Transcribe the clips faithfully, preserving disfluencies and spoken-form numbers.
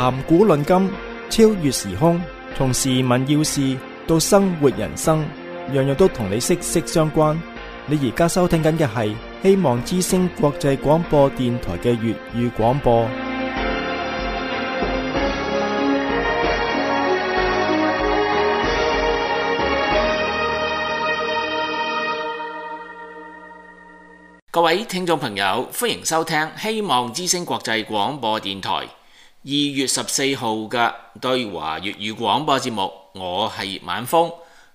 談古論今，超越時空，從時聞要事到生活人生，樣樣都同你息息相關。你而家收聽緊嘅係希望之聲國際廣播電台嘅粵語廣播。各位聽眾朋友，歡迎收聽希望之聲國際廣播電台二月十四號嘅對華粵語廣播節目。我係葉晚風，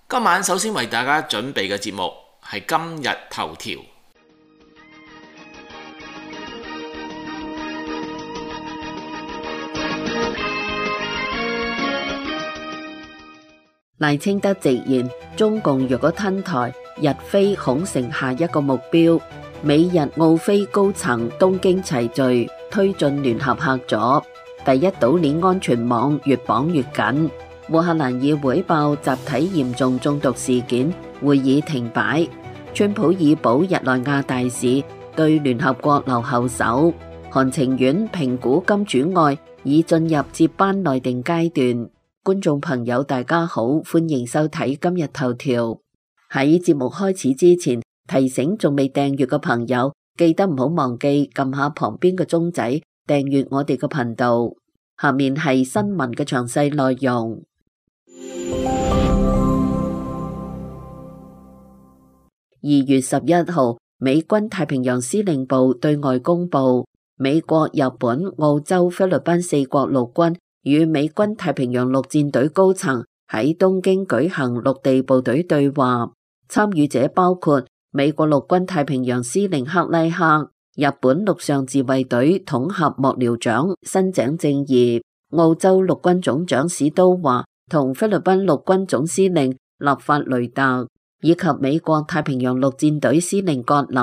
今晚首先為大家準備嘅節目係今日頭條。賴清德直言，中共若果吞台，日菲恐成下一個目標。美日澳菲高層東京齊聚，推進聯合合作。第一島鏈安全網越綁越緊。烏克蘭議會爆集體嚴重中毒事件，會議停擺。川普以保日內瓦大使，對聯合國留後手。韓情願評估金主愛已進入接班內定階段。觀眾朋友大家好，歡迎收睇今日頭條。喺節目開始之前，提醒仲未訂閱嘅朋友，記得唔好忘記撳下旁邊嘅鐘仔，訂閱我哋嘅頻道。下面係新聞嘅詳細內容。二月十一號，美軍太平洋司令部對外公布，美國、日本、澳洲、菲律賓四國陸軍與美軍太平洋陸戰隊高層喺東京舉行陸地部隊對話，參與者包括美國陸軍太平洋司令克拉克、日本陸上自衛隊統合幕僚長新井正義、澳洲陸軍總長史都華同菲律賓陸軍總司令立法雷特，以及美國太平洋陸戰隊司令葛林。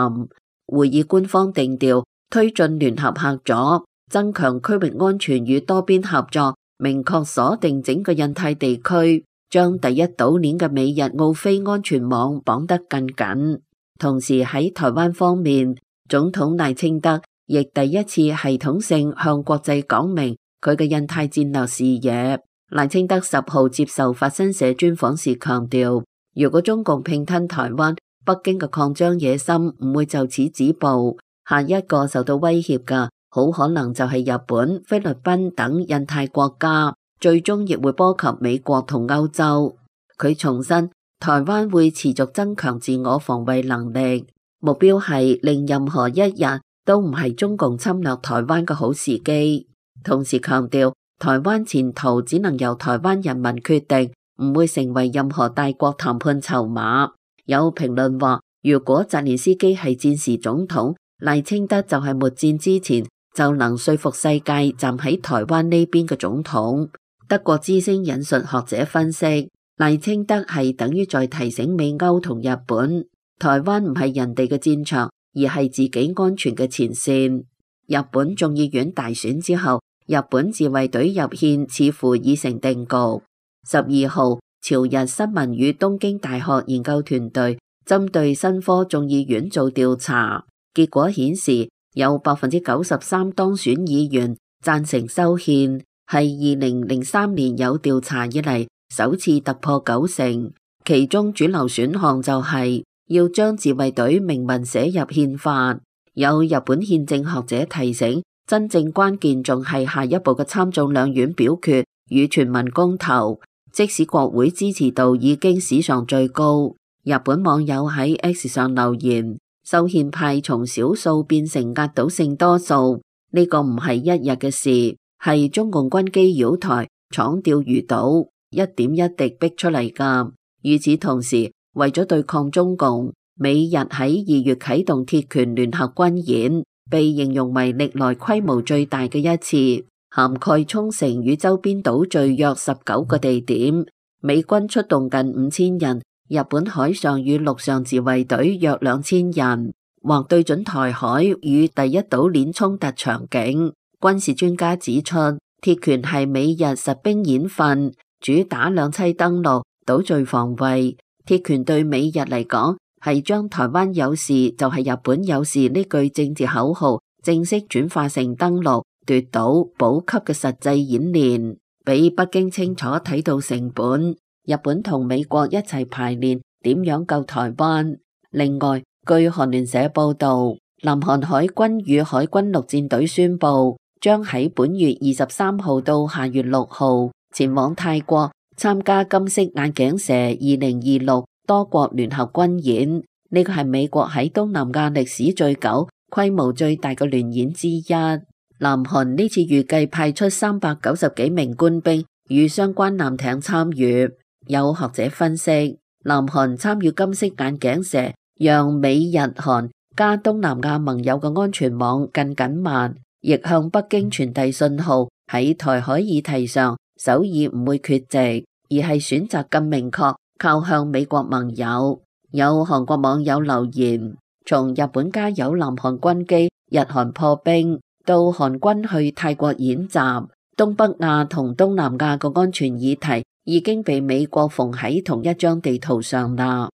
會議官方定調，推進聯合合作，增強區域安全與多邊合作，明確鎖定整個印太地區，將第一島鏈嘅美日澳菲安全網綁得更緊。同時喺台灣方面，總統賴清德亦第一次系統性向國際講明佢嘅印太戰略視野。賴清德十號接受法新社專訪時強調，如果中共併吞台灣，北京嘅擴張野心唔會就此止步，下一個受到威脅嘅好可能就係日本、菲律賓等印太國家，最終亦會波及美國同歐洲。佢重申，台灣會持續增強自我防衛能力，目標係令任何一日都唔係中共侵略台灣嘅好時機。同時強調，台灣前途只能由台灣人民決定，唔會成為任何大國談判籌碼。有評論話，如果澤連斯基係戰時總統，賴清德就係末戰之前就能說服世界站喺台灣呢邊嘅總統。德國之聲引述學者分析，賴清德係等於在提醒美歐同日本，台灣唔係人哋嘅戰場，而係自己安全嘅前線。日本眾議院大選之後，日本自衛隊入憲似乎已成定局。十二號，朝日新聞與東京大學研究團隊針對新科眾議院做調查，結果顯示有百分之九十三當選議員贊成修憲，係二零零三年有調查以嚟首次突破九成。其中主流選項就係要將自衛隊明文寫入憲法。有日本憲政學者提醒，真正關鍵仲係下一步嘅參眾兩院表決與全民公投。即使國會支持度已經史上最高，日本網友喺 X 上留言，修憲派從少數變成壓倒性多數，呢個唔係一日嘅事，係中共軍機擾台、闖釣魚島一點一滴逼出嚟㗎。與此同時，為咗對抗中共，美日喺二月啟動鐵拳聯合軍演，被形容為歷來規模最大嘅一次，涵蓋沖繩與周邊島嶼約十九個地點，美軍出動近五千人，日本海上與陸上自衛隊約兩千人，或對準台海與第一島鏈衝突場景。軍事專家指出，鐵拳係美日實兵演訓，主打兩棲登陸、島嶼防衛。鐵拳對美日嚟講，係將台灣有事就係日本有事呢句政治口號正式轉化成登陸、奪島補給嘅實際演練，俾北京清楚睇到成本。日本同美國一齊排練點樣救台灣。另外，據韓聯社報道，南韓海軍與海軍陸戰隊宣布，將喺本月二十三號到下月六號前往泰國參加金色眼鏡蛇二零二六多國聯合軍演。呢個係美國喺東南亞歷史最久、規模最大嘅聯演之一。南韓呢次預計派出三百九十幾名官兵與相關艦艇參與。有學者分析，南韓參與金色眼鏡蛇，讓美日韓加東南亞盟友嘅安全網更緊密，亦向北京傳遞信號，喺台海議題上，首爾唔會缺席，而係選擇更明確靠向美國盟友。有韓國網友留言，從日本加油南韓軍機，日韓破冰，到韓軍去泰國演習，東北亞同東南亞嘅安全議題已經被美國縫喺同一張地圖上啦。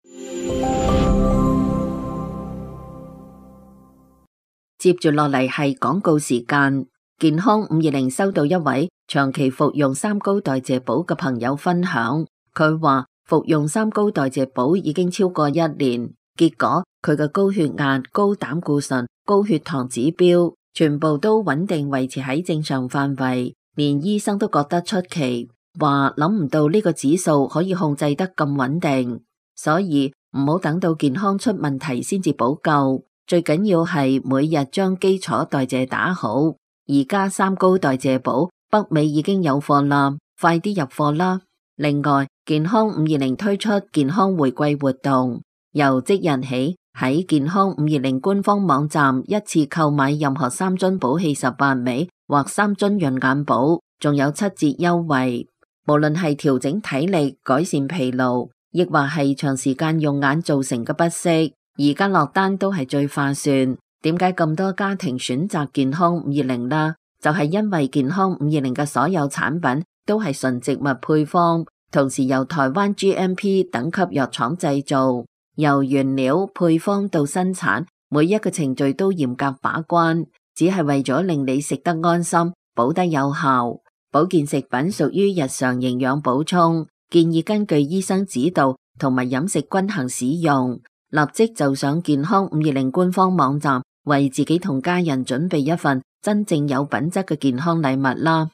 接住落嚟係廣告時間，健康五二零收到一位長期服用三高代謝寶嘅朋友分享，佢話服用三高代謝寶已經超過一年，結果佢嘅高血壓、高膽固醇、高血糖指標全部都穩定維持喺正常範圍，連醫生都覺得出奇，話諗唔到呢個指數可以控制得咁穩定，所以唔好等到健康出問題先至補救，最緊要係每日將基礎代謝打好。而家三高代謝寶北美已經有貨啦，快啲入貨啦！另外，健康五二零推出健康回饋活動，由即日起喺健康五二零官方網站一次購買任何三樽寶氣十八味或三樽潤眼寶，仲有七折優惠。無論係調整體力、改善疲勞，亦或係長時間用眼造成嘅不適，而家落單都係最划算。點解咁多家庭選擇健康五二零啦？就係因為健康五二零嘅所有產品都係純植物配方，同時由台灣 G M P 等級藥廠製造，由原料配方到生產，每一個程序都嚴格把關，只係為咗令你食得安心，補得有效。保健食品屬於日常營養補充，建議根據醫生指導同埋飲食均衡使用。立即就上健康五二零官方網站，為自己同家人準備一份真正有品質嘅健康禮物啦！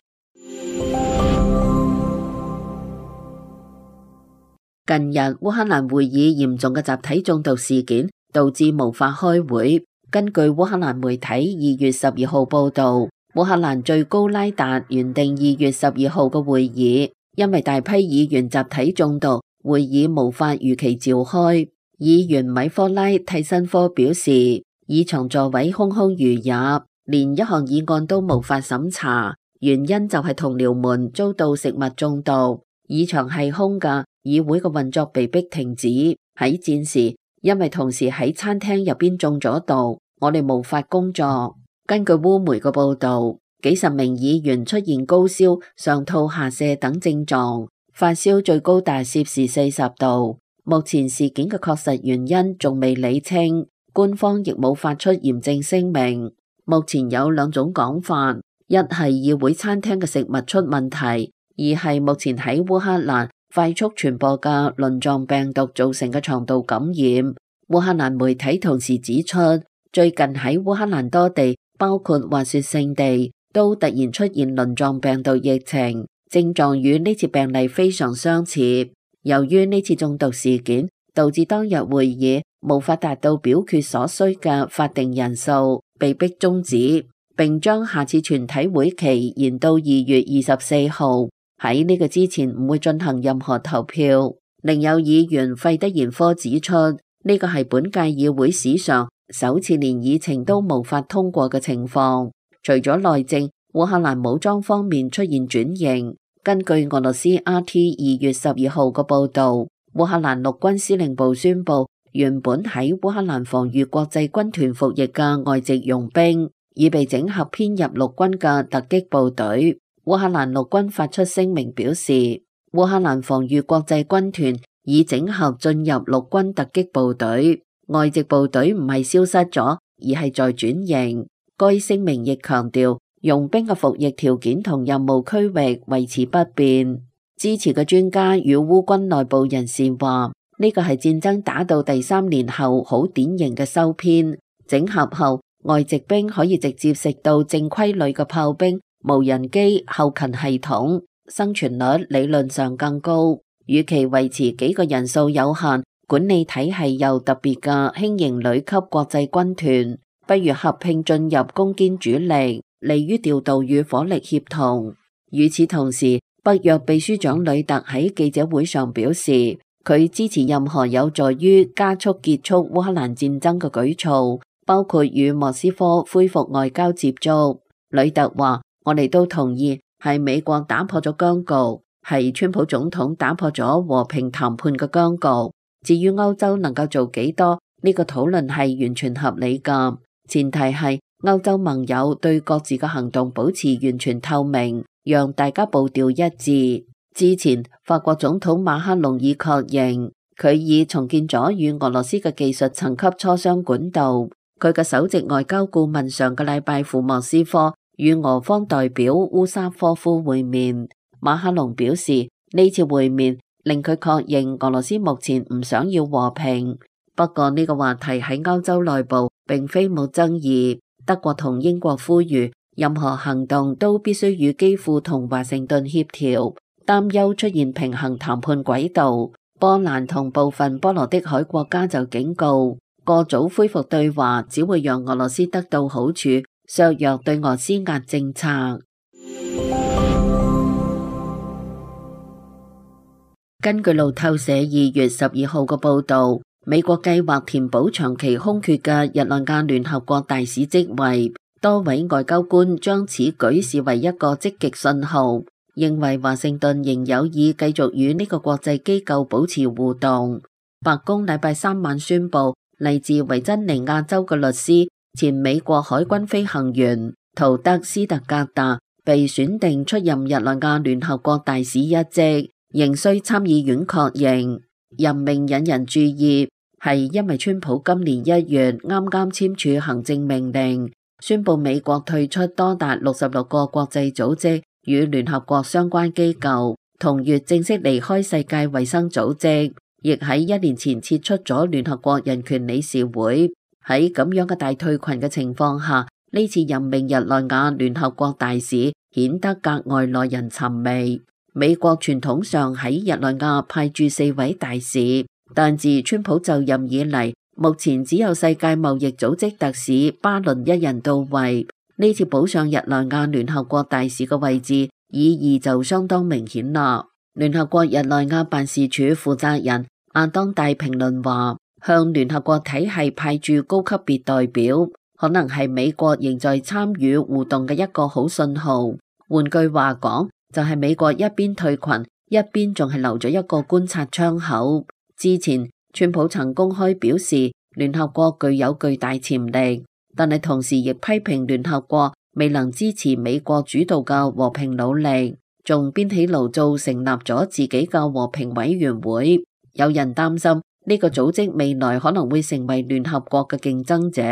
近日烏克蘭會議嚴重嘅集體中毒事件，導致無法開會。根據烏克蘭媒體二月十二號報道，烏克蘭最高拉達原定二月十二號嘅會議，因為大批議員集體中毒，會議無法如期召開。議員米科拉蒂申科表示，議場座位空空如也，連一項議案都無法審查，原因就係同僚們遭到食物中毒。議場係空㗎，議會嘅運作被迫停止。喺戰時，因為同事喺餐廳入邊中咗毒，我哋無法工作。根據烏媒嘅報道，幾十名議員出現高燒、上吐下瀉等症狀，發燒最高達攝氏四十度。目前事件嘅確實原因仲未理清，官方亦冇發出嚴正聲明。目前有兩種講法，一係議會餐廳嘅食物出問題，二係目前喺烏克蘭快速傳播嘅輪狀病毒造成嘅腸道感染。烏克蘭媒體同時指出，最近喺烏克蘭多地，包括滑雪勝地，都突然出現輪狀病毒疫情，症狀與呢次病例非常相似。由於呢次中毒事件，導致當日會議無法達到表決所需嘅法定人數，被迫終止，並將下次全體會期延到二月二十四號。喺呢個之前唔會進行任何投票。另有議員費德延科指出，呢個係本屆議會史上首次連議程都無法通過嘅情況。除咗內政，烏克蘭武裝方面出現轉型。根據俄羅斯 R T 二月十二號嘅報道，烏克蘭陸軍司令部宣布，原本喺烏克蘭防禦國際軍團服役嘅外籍傭兵已被整合編入陸軍嘅突擊部隊。烏克蘭陸軍發出聲明表示，烏克蘭防禦國際軍團已整合進入陸軍突擊部隊，外籍部隊唔係消失咗，而係在轉型。該聲明亦強調，用兵嘅服役條件同任務區域維持不變。支持嘅專家與烏軍內部人士話，呢個係戰爭打到第三年後好典型嘅收編。整合後，外籍兵可以直接食到正規旅嘅炮兵、無人機、後勤系統，生存率理論上更高。與其維持幾個人數有限、管理體系又特別嘅輕型旅級國際軍團，不如合併進入攻堅主力，利於調度與火力協同。與此同時，北約秘書長呂特喺記者會上表示，佢支持任何有助於加速結束烏克蘭戰爭嘅舉措，包括與莫斯科恢復外交接觸。呂特話：我哋都同意係美國打破咗僵局，係川普總統打破咗和平談判嘅僵局。至於歐洲能夠做幾多，呢個討論係完全合理㗎，前提係歐洲盟友對各自嘅行動保持完全透明，讓大家步調一致。之前法國總統馬克龍已確認，佢已重建咗與俄羅斯嘅技術層級磋商管道。佢嘅首席外交顧問上個禮拜赴莫斯科與俄方代表烏沙科夫會面。馬克龍表示，呢次會面令佢確認俄羅斯目前唔想要和平。不過呢個話題喺歐洲內部並非冇爭議。德國同英國呼籲，任何行動都必須與基輔同華盛頓協調，擔憂出現平衡談判軌道。波蘭同部分波羅的海國家就警告，過早恢復對話只會讓俄羅斯得到好處，削弱對俄施壓政策。根據路透社二月十二號嘅報導，美國計劃填補長期空缺嘅日內瓦聯合國大使職位，多位外交官將此舉視為一個積極信號，認為華盛頓仍有意繼續與呢個國際機構保持互動。白宮禮拜三晚宣布，嚟自維珍尼亞州嘅律師、前美國海軍飛行員圖德斯特格達被選定出任日內瓦聯合國大使一職，仍需參議院確認。任命引人注意，係因為川普今年一月啱啱簽署行政命令，宣布美國退出多達六十六個國際組織與聯合國相關機構，同月正式離開世界衛生組織，亦喺一年前撤出咗聯合國人權理事會。喺咁樣嘅大退群嘅情況下，呢次任命日內瓦聯合國大使顯得格外耐人尋味。美國傳統上喺日內瓦派駐四位大使，但自川普就任以嚟，目前只有世界貿易組織特使巴倫一人到位。呢次補上日內瓦聯合國大使嘅位置，意義就相當明顯啦。聯合國日內瓦辦事處負責人亞當戴評論話，向聯合國體系派駐高級別代表，可能係美國仍在參與互動嘅一個好信號。換句話講，就係美國一邊退群，一邊仲係留咗一個觀察窗口。之前川普曾公開表示聯合國具有巨大潛力，但係同時亦批評聯合國未能支持美國主導嘅和平努力，仲編起爐灶成立咗自己嘅和平委員會。有人擔心呢個組織未來可能會成為聯合國嘅競爭者。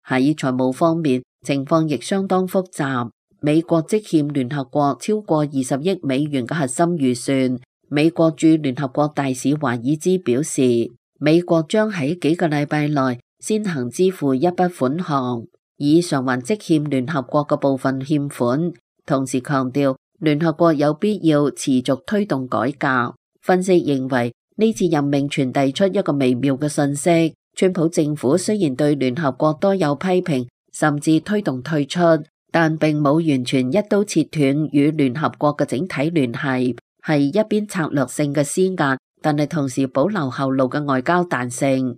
喺財務方面，情況亦相當複雜。美國積欠聯合國超過二十億美元嘅核心預算。美國駐聯合國大使華爾茲表示，美國將喺幾個禮拜內先行支付一筆款項，以償還積欠聯合國嘅部分欠款。同時強調，聯合國有必要持續推動改革。分析認為，呢次任命傳遞出一個微妙嘅信息：川普政府雖然對聯合國多有批評，甚至推動退出，但並冇完全一刀切斷與聯合國嘅整體聯繫，係一邊策略性嘅施壓，但係同時保留後路嘅外交彈性。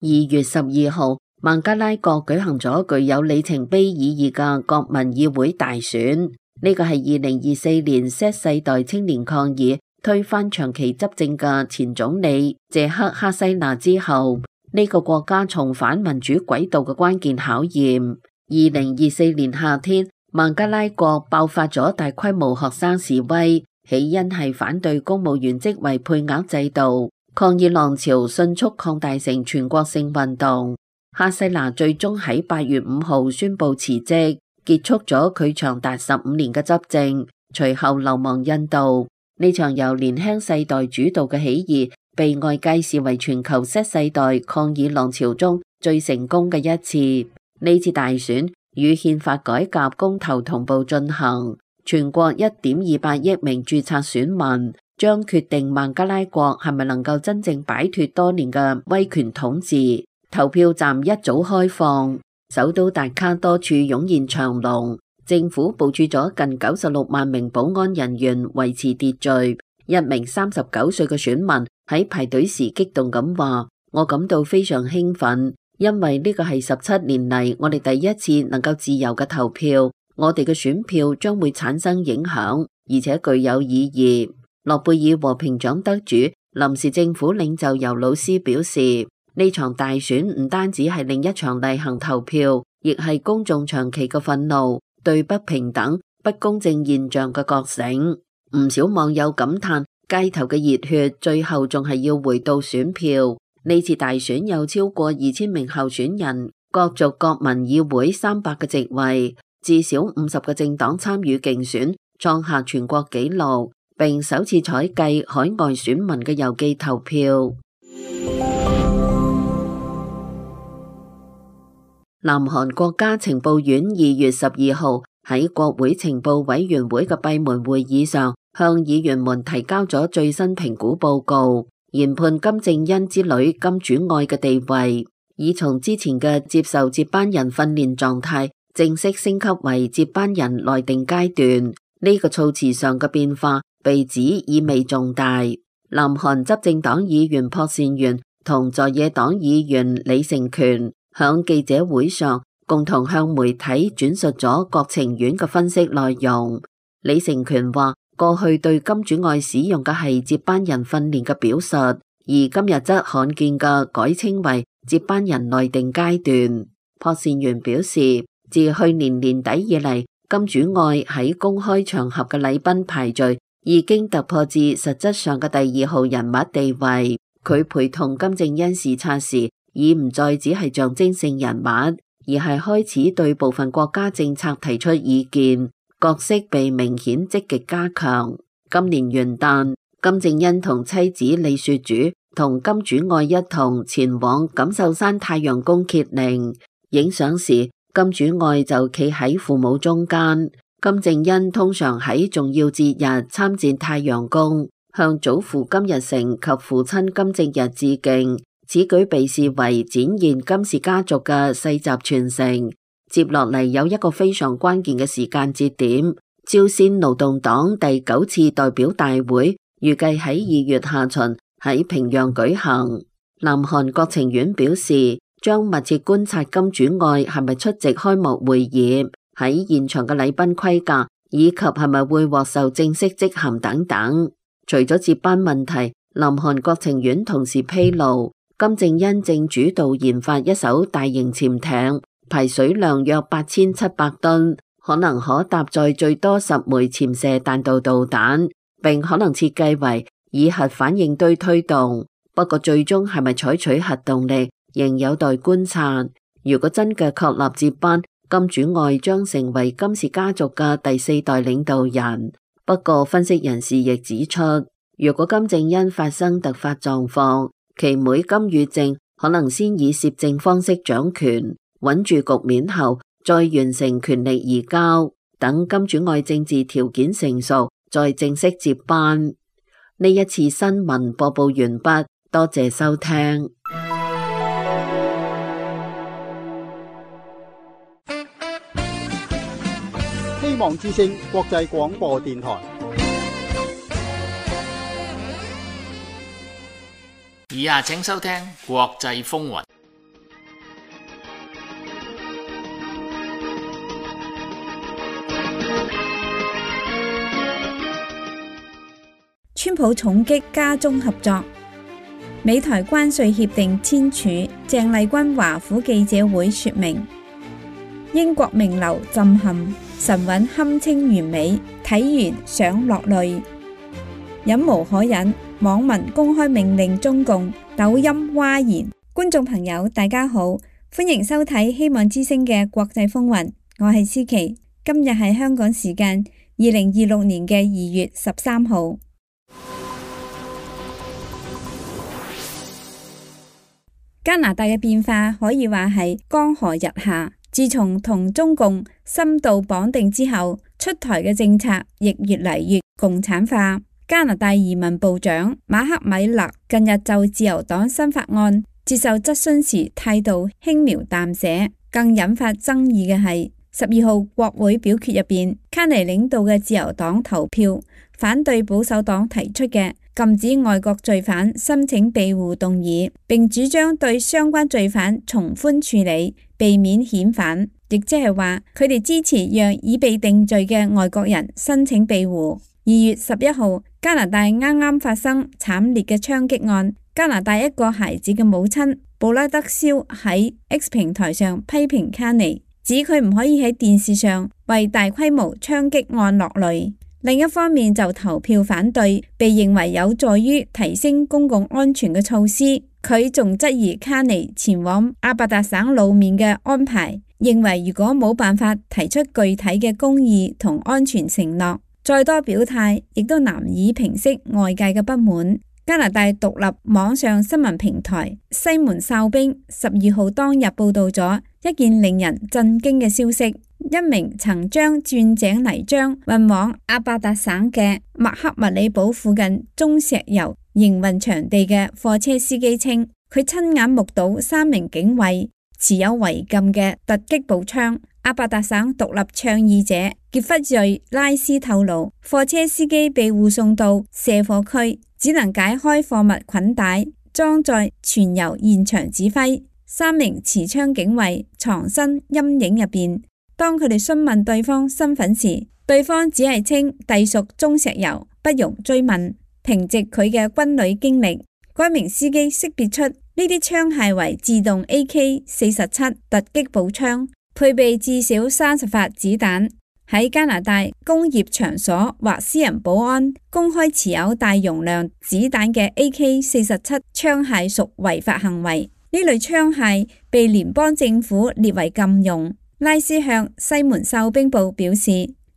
二月十二號，孟加拉國舉行咗具有里程碑意義嘅國民議會大選，呢個係二零二四年 Z 世代青年抗議推翻長期執政嘅前總理謝克哈西娜之後，呢個國家重返民主軌道嘅關鍵考驗。二零二四年夏天，孟加拉國爆發咗大規模學生示威，起因係反對公務員職位配額制度，抗議浪潮迅速擴大成全國性運動。哈西娜最終喺八月五號宣布辭職，結束咗佢長達十五年嘅執政，隨後流亡印度。呢場由年輕世代主導嘅起義，被外界視為全球 Z 世代抗議浪潮中最成功嘅一次。呢次大選與憲法改革公投同步進行，全國一點二八億名註冊選民將決定孟加拉國係咪能夠真正擺脫多年嘅威權統治。投票站一早開放，首都達卡多處湧現長龍，政府部署咗近九十六萬名保安人員維持秩序。一名三十九歲嘅選民喺排隊時激動咁話：我感到非常興奮，因為呢個係十七年嚟我哋第一次能夠自由嘅投票，我哋嘅選票將會產生影響，而且具有意義。諾貝爾和平獎得主、臨時政府領袖尤魯斯表示，呢場大選唔單止係另一場例行投票，亦係公眾長期嘅憤怒，對不平等、不公正現象嘅覺醒。唔少網友感嘆，街頭嘅熱血最後仲係要回到選票。呢次大選有超過二千名候選人，各族國民議會三百個席位，至少五十個政黨參與競選，創下全國紀錄，並首次採計海外選民嘅郵寄投票。南韓國家情報院二月十二號喺國會情報委員會嘅閉門會議上，向議員們提交咗最新評估報告，研判金正恩之女金主愛嘅地位，已從之前嘅接受接班人訓練狀態，正式升級為接班人內定階段。呢、這個措辭上嘅變化被指意味重大。南韓執政黨議員朴善元同在野黨議員李成權響記者會上共同向媒體轉述咗國情院嘅分析內容。李成權話，過去對金主愛使用嘅係接班人訓練嘅表述，而今日則罕見嘅改稱為接班人內定階段。朴善元表示，自去年年底以嚟，金主愛喺公開場合嘅禮賓排序已經突破至實質上嘅第二號人物地位。佢陪同金正恩視察時，已唔再只係象徵性人物，而係開始對部分國家政策提出意見，角色被明顯積極加強。今年元旦，金正恩同妻子李雪主同金主愛一同前往錦繡山太陽宮揭靈，影相時金主愛就企喺父母中間。金正恩通常喺重要節日參戰太陽宮，向祖父金日成及父親金正日致敬。此舉被視為展現金氏家族嘅世襲傳承。接落嚟有一個非常關鍵嘅時間節點，朝鮮勞動黨第九次代表大會預計喺二月下旬喺平壤舉行。南韓國情院表示，將密切觀察金主愛係咪出席開幕會議，喺現場嘅禮賓規格，以及係咪會獲授正式職銜等等。除咗接班問題，南韓國情院同時披露，金正恩正主導研發一艘大型潛艇，排水量約八千七百噸，可能可搭載最多十枚潛射彈道導彈，並可能設計為以核反應堆推動。不過最終係咪採取核動力，仍有待觀察。如果真嘅確立接班，金主愛將成為金氏家族嘅第四代領導人。不過分析人士亦指出，如果金正恩發生突發狀況，其妹金與正可能先以攝政方式掌權，穩住局面後，再完成權力移交，等金主愛政治條件成熟，再正式接班。呢一次新聞播報完畢，多謝收聽。希望之聲國際廣播電台。以下請收聽國際風雲。川普重擊加中合作，美台關稅協定簽署。鄭麗君華府記者會說明，英國名流震撼，神韻堪稱完美，睇完想落淚，忍無可忍。網民公開命令中共，抖音嘩然。觀眾朋友大家好，歡迎收睇希望之聲嘅國際風雲，我係思琪。今日係香港時間二零二六年嘅二月十三號。加拿大嘅變化可以話係江河日下，自從同中共深度綁定之後，出台嘅政策亦越嚟越共產化。加拿大移民部長馬克米勒近日就自由黨新法案接受質詢時態度輕描淡寫，更引發爭議嘅係十二號國會表決入邊，卡尼領導嘅自由黨投票反對保守黨提出嘅禁止外國罪犯申請庇護動議，並主張對相關罪犯從寬處理，避免遣返，亦即係話佢哋支持讓已被定罪嘅外國人申請庇護。二月十一號，加拿大啱啱發生慘烈嘅槍擊案，加拿大一個孩子嘅母親布拉德肖喺 X 平台上批評卡尼，指佢唔可以喺電視上為大規模槍擊案落淚。另一方面就投票反對被認為有助於提升公共安全嘅措施。佢仲質疑卡尼前往阿伯達省露面嘅安排，認為如果冇辦法提出具體嘅公義同安全承諾，再多表態亦都難以平息外界嘅不滿。加拿大獨立網上新聞平台西門哨兵十二號當日報道咗一件令人震驚嘅消息，一名曾將鑽井泥漿運往阿伯達省嘅麥克密里堡附近中石油營運場地嘅貨車司機稱，佢親眼目睹三名警衛持有違禁嘅突擊步槍。阿伯達省獨立倡議者傑弗瑞拉斯透露，貨車司機被護送到卸貨區，只能解開貨物捆帶，裝載全由現場指揮。三名持槍警衛藏身陰影入邊，當佢哋詢問對方身份時，對方只係稱隸屬中石油，不容追問。憑藉佢嘅軍旅經歷，該名司機識別出呢啲槍械為自動 A K 四十七 突擊步槍，配備至少三十發子彈。喺加拿大工業場所或私人保安公開持有大容量子彈嘅 A K 四十七 槍械屬違法行為，呢類槍械被聯邦政府列為禁用。拉斯向西門哨兵報表示，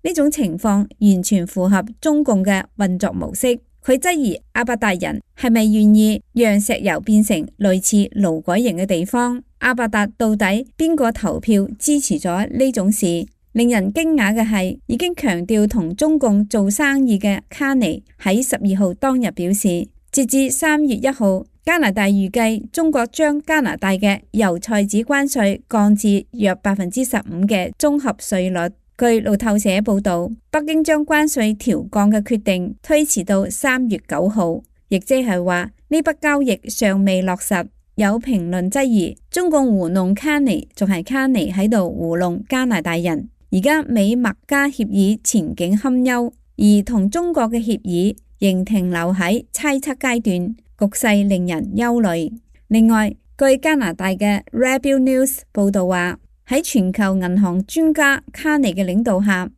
呢種情況完全符合中共嘅運作模式。佢質疑阿伯達人係咪願意讓石油變成類似勞改營嘅地方？阿伯達到底邊個投票支持咗呢種事？令人驚訝嘅係，已經強調同中共做生意嘅卡尼喺十二號當日表示，截至三月一號，加拿大預計中國將加拿大嘅油菜籽關稅降至約百分之十五嘅綜合稅率。據路透社報道，北京將關稅調降嘅決定推遲到三月九號，亦即係話呢筆交易尚未落實。有評論質疑，中共糊弄卡尼，仲係卡尼喺度糊弄加拿大人。而家美墨加協議前景堪憂，而同中國嘅協議仍停留喺猜測階段，局勢令人憂慮。另外，據加拿大嘅 Rebel News 報道話，喺全球銀行專家卡尼嘅領導下，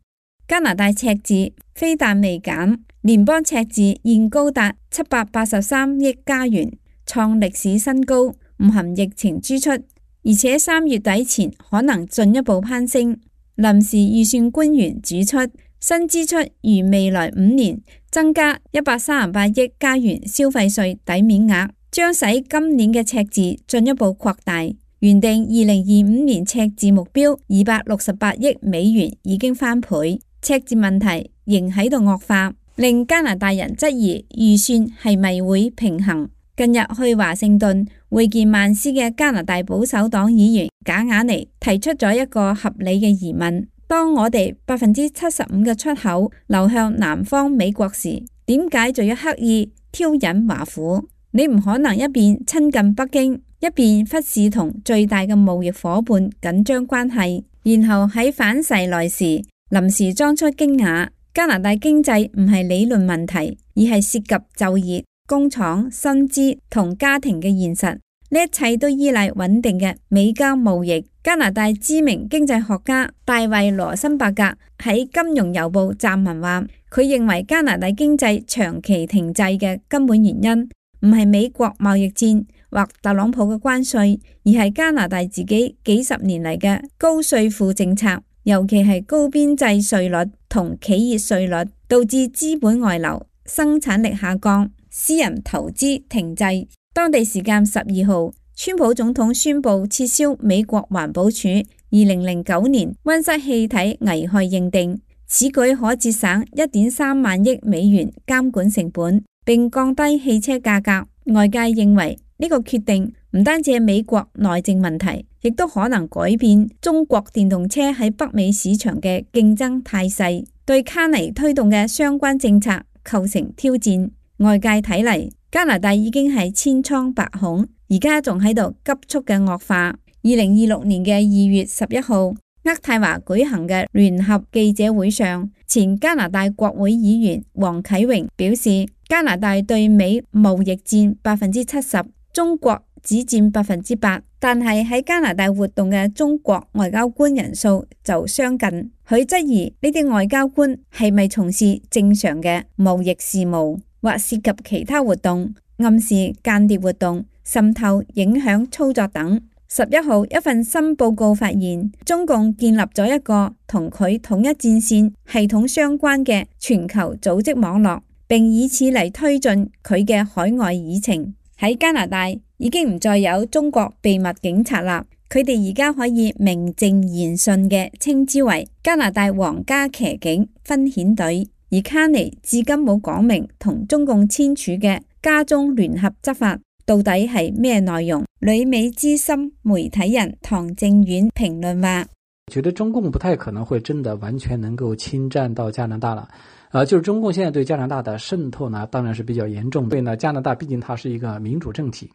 加拿大赤字非但未減，聯邦赤字現高達七百八十三億加元，創歷史新高，唔含疫情支出，而且三月底前可能進一步攀升。臨時預算官員指出，新支出如未來五年增加一百三十八億加元消費稅抵免額，將使今年嘅赤字進一步擴大。原定二零二五年赤字目標二百六十八億美元已經翻倍，赤字問題仍喺度惡化，令加拿大人質疑預算係咪會平衡。近日去華盛頓會見曼斯嘅加拿大保守黨議員賈雅尼提出咗一個合理嘅疑問：當我哋百分之七十五嘅出口流向南方美國時，點解就要刻意挑釁華府？你唔可能一邊親近北京，一邊忽視同最大嘅貿易夥伴緊張關係，然後喺反噬來時臨時裝出驚訝。加拿大經濟唔係理論問題，而係涉及就業、工廠、薪資同家庭嘅現實，呢一切都依賴穩定嘅美加貿易。加拿大知名經濟學家大衛羅森伯格喺《金融郵報》撰文話，佢認為加拿大經濟長期停滯嘅根本原因唔係美國貿易戰，或特朗普嘅關稅，而係加拿大自己幾十年嚟嘅高稅負政策，尤其係高邊際稅率同企業稅率，導致資本外流、生產力下降、私人投資停滯。當地時間十二號，川普總統宣布撤銷美國環保署二零零九年溫室氣體危害認定，此舉可節省一點三萬億美元監管成本，並降低汽車價格。外界認為呢個決定唔單止係美國內政問題，亦都可能改變中國電動車喺北美市場嘅競爭態勢，對卡尼推動嘅相關政策構成挑戰。外界睇嚟，加拿大已經係千瘡百孔，而家仲喺度急速嘅惡化。二零二六年嘅二月十一號，渥太華舉行嘅聯合記者會上，前加拿大國會議員黃啟榮表示，加拿大對美貿易佔百分之七十，中國只佔百分之八，但係喺加拿大活動嘅中國外交官人數就相近。佢質疑呢啲外交官係咪從事正常嘅貿易事務，或涉及其他活動，暗示間諜活動、滲透、影響操作等。十一號一份新報告發現，中共建立咗一個同佢統一戰線系統相關嘅全球組織網絡，並以此嚟推進佢嘅海外議程。喺加拿大已經唔再有中國秘密警察啦，佢哋而家可以名正言順嘅稱之為加拿大皇家騎警分遣隊。而卡尼至今冇講明同中共簽署嘅加中聯合執法到底係咩內容。旅美資深媒體人唐正遠評論話：我覺得中共不太可能會真的完全能夠侵佔到加拿大了。呃，就是中共現在對加拿大的滲透呢，當然是比較嚴重的。所以呢，加拿大畢竟它是一個民主政體，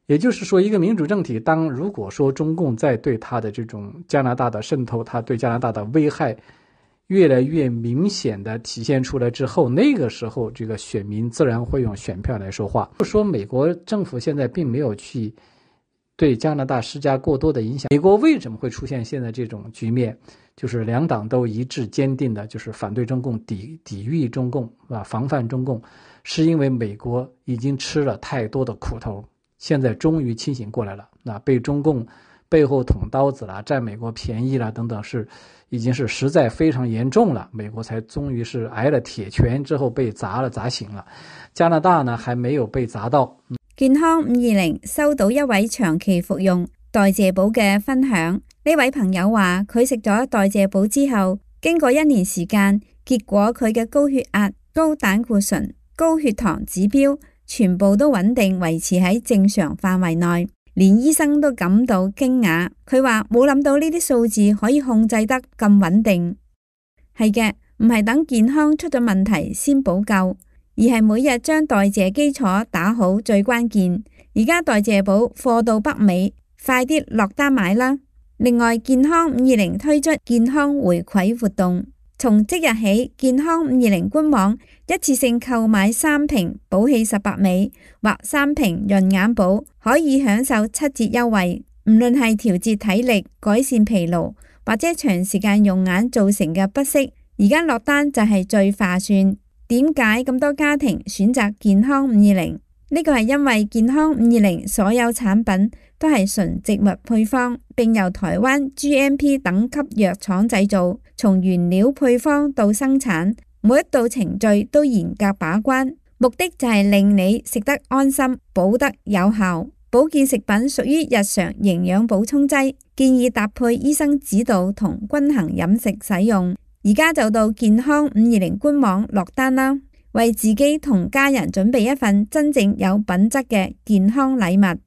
也就是說，一個民主政體，當如果說中共在對它的這種加拿大的滲透，它對加拿大的危害越來越明顯的體現出來之後，那個時候這個選民自然會用選票來說話。就說美國政府現在並沒有去對加拿大施加過多的影響。美國為什麼會出現現在這種局面？就是兩黨都一致堅定的，就是反對中共、抵抵禦中共啊，防範中共，是因為美國已經吃了太多的苦頭，現在終於清醒過來了。那被中共背後捅刀子啦，佔美國便宜啦等等，是已經是實在非常嚴重了。美國才終於是挨了鐵拳之後被砸了砸醒了。加拿大呢還沒有被砸到。健康五二零收到一位長期服用代謝寶嘅分享，呢位朋友話佢食咗代謝寶之後，經過一年時間，結果佢嘅高血壓、高膽固醇、高血糖指標全部都穩定維持喺正常範圍內。連醫生都感到驚訝，佢話冇諗到呢啲數字可以控制得咁穩定。係嘅，唔係等健康出咗問題先補救，而係每日將代謝基礎打好最關鍵。而家代謝寶貨到北美，快啲落單買啦！另外，健康五二零推出健康回饋活動，從即日起，健康五二零官網一次性購買三瓶寶氣十八美或三瓶潤眼寶，可以享受七折優惠。唔論係調節體力、改善疲勞或者長時間用眼造成嘅不適，而家落單就係最划算。點解咁多家庭選擇健康五二零？呢個係因為健康五二零所有產品都係純植物配方，並由台灣 G M P 等級藥廠製造，從原料配方到生產，每一道程序都嚴格把關，目的就係令你食得安心，補得有效。保健食品屬於日常營養補充劑，建議搭配醫生指導同均衡飲食使用。而家就到健康五二零官網落單啦，為自己同家人準備一份真正有品質嘅健康禮物。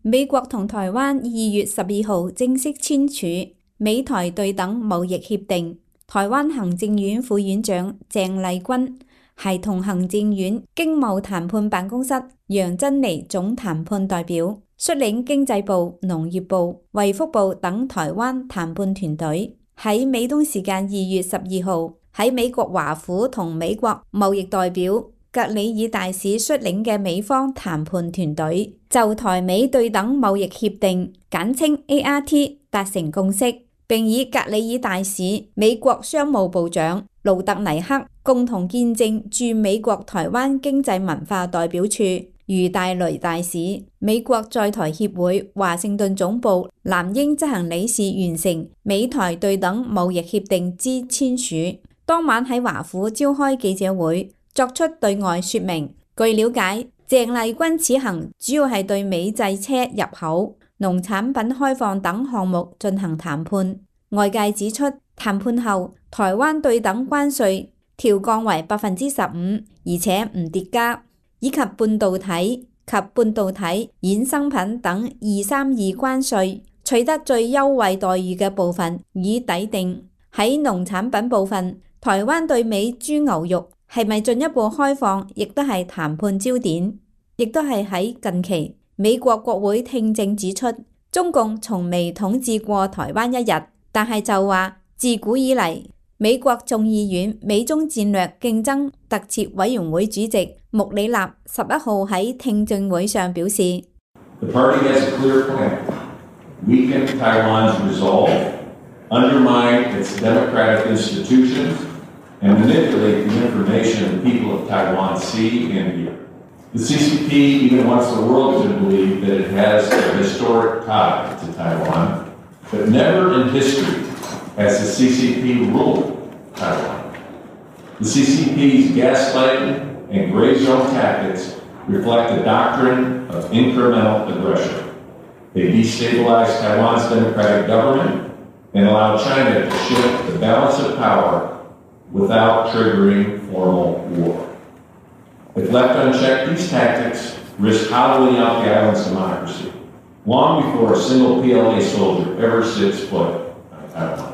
美國同台灣二月十二號正式簽署美台對等貿易協定，台灣行政院副院長鄭麗君係同行政院經貿談判辦公室楊珍妮總談判代表，率領經濟部、農業部、衛福部等台灣談判團隊，喺美東時間二月十二號喺美國華府同美國貿易代表格里爾大使率領嘅美方談判團隊就台美對等貿易協定簡稱 A R T 達成共識，並以格里爾大使、美國商務部長盧特尼克共同見證駐美國台灣經濟文化代表處余大雷大使、美國在台協會華盛頓總部藍英執行理事完成美台對等貿易協定之簽署。當晚喺華府召開記者會，作出對外說明。據了解，鄭麗君此行主要係對美製車入口、農產品開放等項目進行談判。外界指出，談判後台灣對等關稅調降為百分之十五，而且唔疊加，以及半導體及半導體衍生品等二三二關稅取得最優惠待遇嘅部分已抵定。喺農產品部分，台灣對美豬牛肉係咪進一步開放，亦都係談判焦點。亦都係喺近期，美國國會聽證指出，中共從未統治過台灣一日，但係就話自古以嚟，美國眾議院美中戰略競爭特設委員會主席穆里納十一號喺聽證會上表示 The party has a clear plan. Weaken Taiwan's resolve, undermine its democratic institutions, and manipulate the information the people of Taiwan see and hear. The C C P even wants the world to believe that it has a historic tie to Taiwan, but never in history has the C C P ruled Taiwan. The C C P's gaslighting and gray zone tactics reflect the doctrine of incremental aggression. They destabilize Taiwan's democratic government and allow China to shift the balance of power without triggering formal war. If left unchecked, these tactics risk hollowing out the island's democracy, long before a single P L A soldier ever sets foot on Taiwan.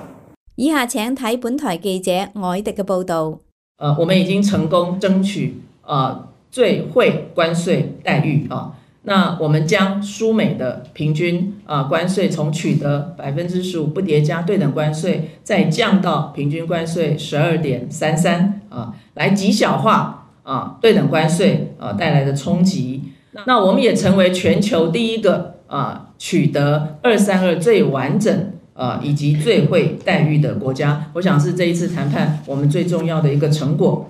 以下請睇本台記者凱迪嘅報導。呃，我們已經成功爭取呃最惠關稅待遇啊。那我們將輸美的平均啊關稅從取得百分之十五不疊加對等關稅，再降到平均關稅十二點三三啊，來極小化。啊，對等關稅啊帶來的衝擊，那我們也成為全球第一個啊取得二三二最完整啊以及最惠待遇的國家。我想是這一次談判我們最重要的一個成果。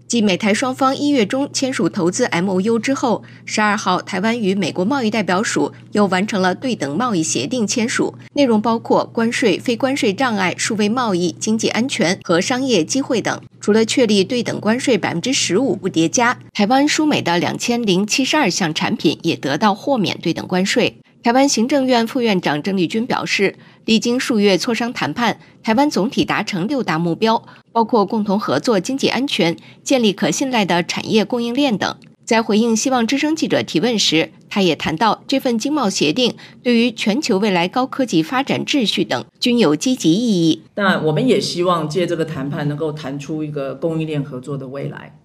繼美台雙方一月中簽署投資 M O U 之後，十二號台灣與美國貿易代表署又完成了對等貿易協定簽署，內容包括關稅、非關稅障礙、數位貿易、經濟安全和商業機會等。除了確立對等關稅百分之十五不疊加，台灣輸美的兩千零七十二項產品也得到豁免對等關稅。台灣行政院副院長鄭麗君表示，歷經數月磋商談判，台灣總體達成六大目標，包括共同合作經濟安全、建立可信賴的產業供應鏈等。在回應希望之聲記者提問時，他也談到這份經貿協定對於全球未來高科技發展秩序等均有積極意義。但我們也希望借這個談判能夠談出一個供應鏈合作的未來，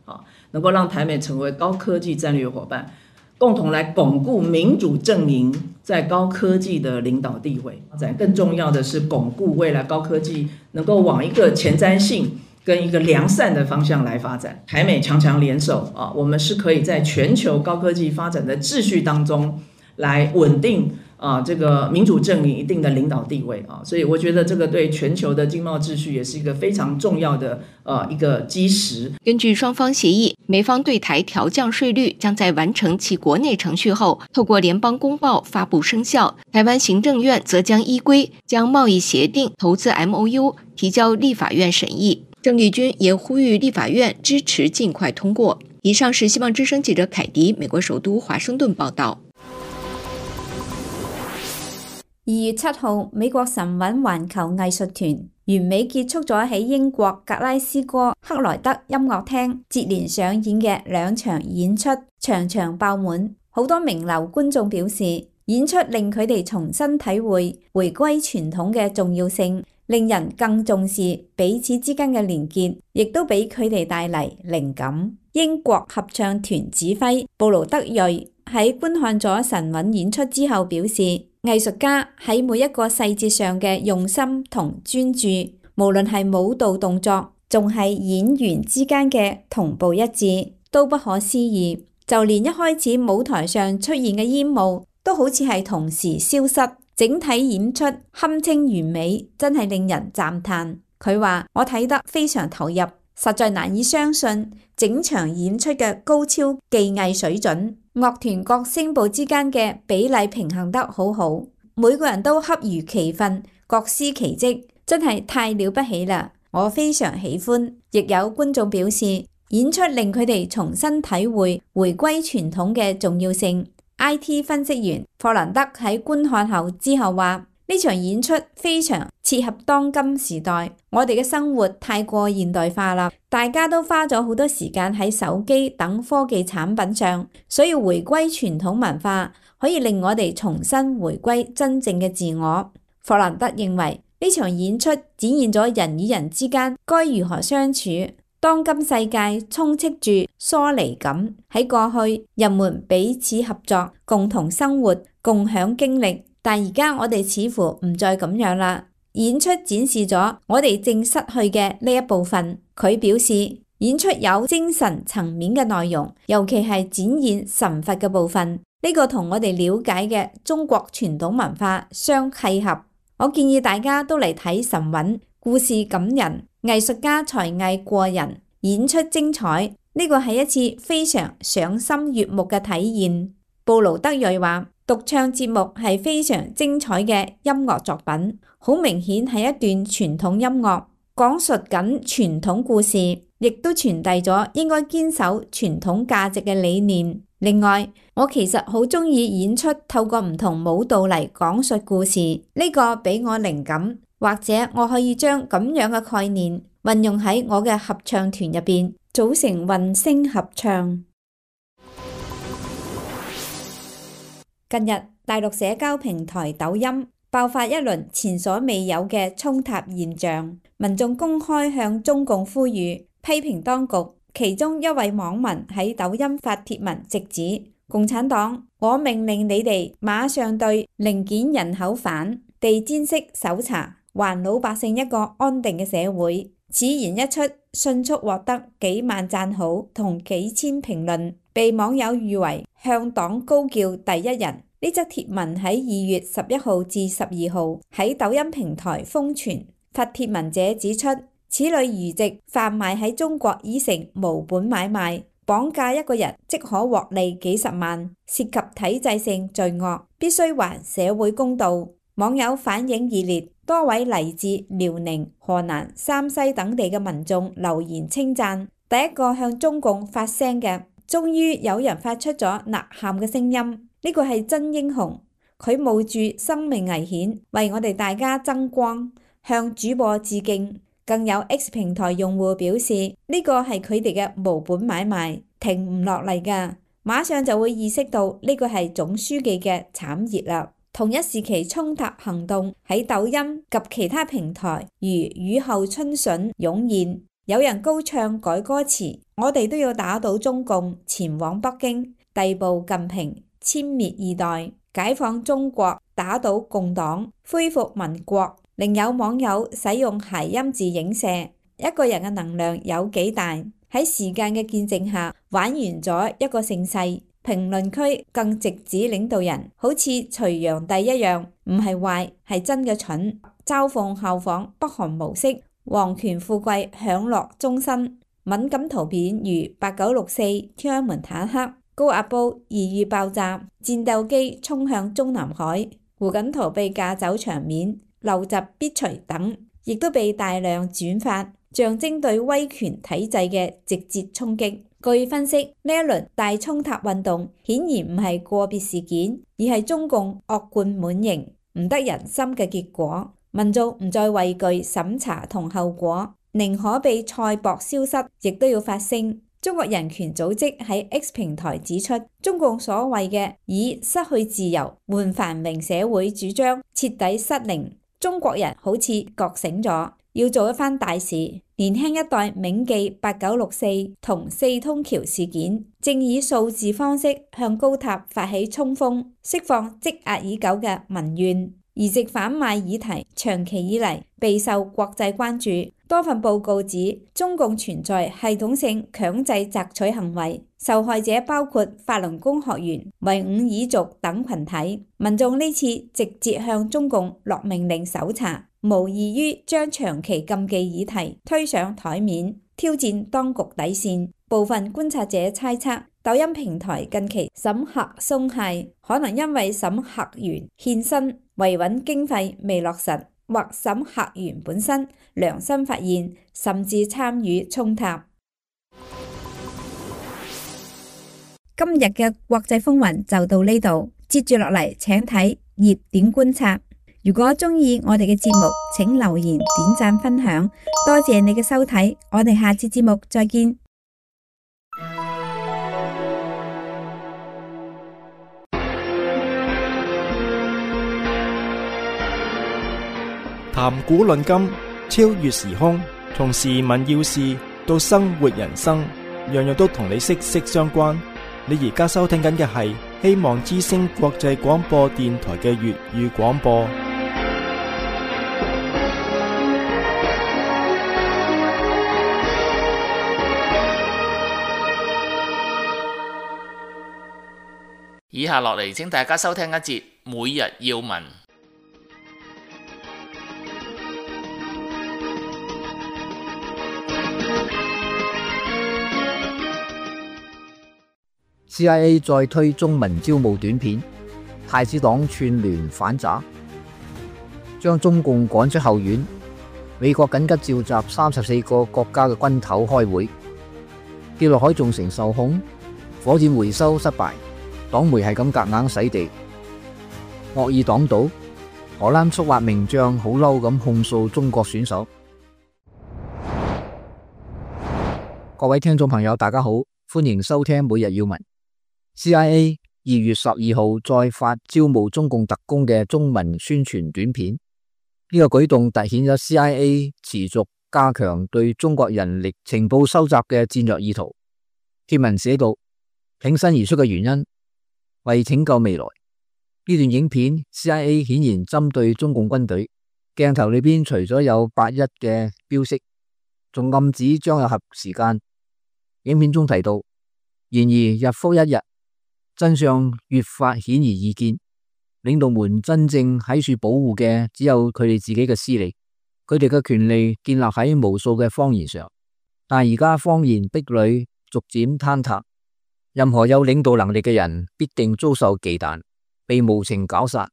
能夠讓台美成為高科技戰略夥伴，共同來鞏固民主陣營在高科技的領導地位。更重要的是鞏固未來高科技能夠往一個前瞻性跟一個良善的方向來發展。台美強強聯手啊，我們是可以在全球高科技發展的秩序當中來穩定啊，這個民主陣營一定的領導地位啊，所以我覺得這個對全球的經貿秩序也是一個非常重要的呃一個基石。根據雙方協議，美方對台調降稅率將在完成其國內程序後，透過聯邦公報發布生效。台灣行政院則將依規將貿易協定投資 M O U 提交立法院審議。鄭麗君也呼籲立法院支持盡快通過。以上是希望之聲記者凱迪美國首都華盛頓報道。二月七號，美國神韻環球藝術團完美結束咗喺英國格拉斯哥克萊德音樂廳接連上演嘅兩場演出，場場爆滿。好多名流觀眾表示，演出令佢哋重新體會回歸傳統嘅重要性，令人更重視彼此之間嘅連結，亦都俾佢哋帶嚟靈感。英國合唱團指揮布魯德瑞喺觀看咗神韻演出之後表示，藝術家喺每一個細節上嘅用心同專注，無論係舞蹈動作，仲係演員之間嘅同步一致，都不可思議。就連一開始舞台上出現嘅煙霧，都好似係同時消失。整體演出堪稱完美，真係令人讚嘆。佢話：我睇得非常投入，實在難以相信整場演出嘅高超技藝水準，樂團各聲部之間嘅比例平衡得好好，每個人都恰如其分，各司其職，真係太了不起啦！我非常喜歡。亦有觀眾表示，演出令佢哋重新體會回歸傳統嘅重要性。I T 分析員霍蘭德喺觀看後之後話：呢場演出非常切合當今時代，我哋嘅生活太過現代化啦，大家都花咗好多時間喺手機等科技產品上，所以回歸傳統文化可以令我哋重新回歸真正嘅自我。霍蘭德認為呢場演出展現咗人與人之間該如何相處。當今世界充斥住疏離感，喺過去人們彼此合作，共同生活，共享經歷，但而家我哋似乎唔再咁樣啦。演出展示咗我哋正失去嘅呢一部分。佢表示，演出有精神層面嘅內容，尤其係展現神佛嘅部分，呢個同我哋了解嘅中國傳統文化相契合。我建議大家都嚟睇神韻，故事感人，藝術家才藝過人，演出精彩，呢個係一次非常賞心悅目嘅體驗。布勞德瑞話：獨唱節目係非常精彩嘅音樂作品，好明顯係一段傳統音樂，講述緊傳統故事，亦都傳遞咗應該堅守傳統價值嘅理念。另外，我其實好鍾意演出透過唔同舞蹈嚟講述故事，呢個俾我靈感，或者我可以將咁樣嘅概念運用喺我嘅合唱團入邊，組成混聲合唱。近日，大陸社交平台抖音爆發一輪前所未有嘅衝突現象，民眾公開向中共呼籲，批評當局。其中一位網民喺抖音發帖文，直指共產黨，我命令你哋馬上對零件人口反，地毯式搜查，還老百姓一個安定嘅社會。此言一出，迅速獲得幾萬讚好同幾千評論，被網友譽為向黨高叫第一人。呢則帖文喺二月十一號至十二號喺抖音平台瘋傳。發帖文者指出，此類餘籍販賣喺中國已成無本買賣，綁架一個人即可獲利幾十萬，涉及體制性罪惡，必須還社會公道。網友反應熱烈，多位嚟自遼寧、河南、山西等地嘅民眾留言稱讚。第一個向中共發聲嘅，終於有人發出咗吶喊嘅聲音，呢個係真英雄，佢冒住生命危險為我哋大家爭光，向主播致敬。更有 X 平台用戶表示，呢個係佢哋嘅無本買賣，停唔落嚟㗎，馬上就會意識到呢個係總書記嘅慘熱啦。同一時期衝突行動喺抖音及其他平台如雨後春筍湧現，有人高唱改歌詞，我哋都要打倒中共，前往北京，逮捕近平，殲滅二代，解放中國，打倒共黨，恢復民國。另有網友使用諧音字影射一個人嘅能量有幾大，喺時間嘅見證下玩完咗一個盛世。評論區更直指領導人好似隋煬帝一樣，唔係壞係真嘅蠢，嘲諷效仿北韓模式，皇權富貴享樂終身。敏感圖片如八九六四、天安門坦克、高壓煲二遇爆炸、戰鬥機衝向中南海、胡錦濤被架走場面、陋習必除等，亦都被大量轉發，象徵對威權體制嘅直接衝擊。據分析，呢一輪大衝突運動顯然唔係個別事件，而係中共惡貫滿盈、唔得人心嘅結果。民眾唔再畏懼審查同後果，寧可被賽博消失，亦都要發聲。中國人權組織喺 X 平台指出，中共所謂嘅以失去自由換繁榮社會主張徹底失靈。中國人好似覺醒咗，要做一番大事。年輕一代銘記八九六四同四通橋事件，正以數字方式向高塔發起衝鋒，釋放積壓已久嘅民怨。移植販賣議題長期以嚟備受國際關注。多份報告指，中共存在系統性強制摘取行為，受害者包括法輪功學員、維吾爾族等群體。民眾呢次直接向中共落命令搜查，無異於將長期禁忌議題推上台面，挑戰當局底線。部分觀察者猜測，抖音平台近期審核鬆懈，可能因為審核員獻身維穩經費未落實，或審核員本身良心發現，甚至參與衝突。今日嘅國際風雲就到呢度，接住落嚟請睇熱點觀察。如果中意我哋嘅節目，請留言、點讚、分享，多謝你嘅收睇，我哋下次節目再見。談古論今，超越時空，從時聞要事到生活人生，樣樣都同你息息相關。你而家收聽緊嘅係希望之聲國際廣播電台嘅粵語廣播。以下落嚟，請大家收聽一節每日要聞。C I A 再推中文招募短片，太子黨串聯反詐，將中共趕出後院。美國緊急召集三十四個國家嘅軍頭開會。跌落海造成受控，火箭回收失敗，黨媒係咁夾硬洗地。惡意黨賭，荷蘭速滑名將好嬲咁控訴中國選手。各位聽眾朋友，大家好，歡迎收聽每日要聞。C I A 二月十二號再發招募中共特工嘅中文宣傳短片，呢、這個舉動凸顯咗 C I A 持續加強對中國人力情報收集嘅戰略意圖。貼文寫道：挺身而出嘅原因，為拯救未來。呢段影片 C I A 顯然針對中共軍隊，鏡頭裏邊除咗有八一嘅標識，仲暗指張有合時間。影片中提到，然而日復一日，真相越發顯而易見，領導們真正喺處保護嘅只有佢哋自己嘅私利，佢哋嘅權利建立喺無數嘅謊言上，但而家謊言壁壘逐漸坍塌，任何有領導能力嘅人必定遭受忌憚，被無情絞殺。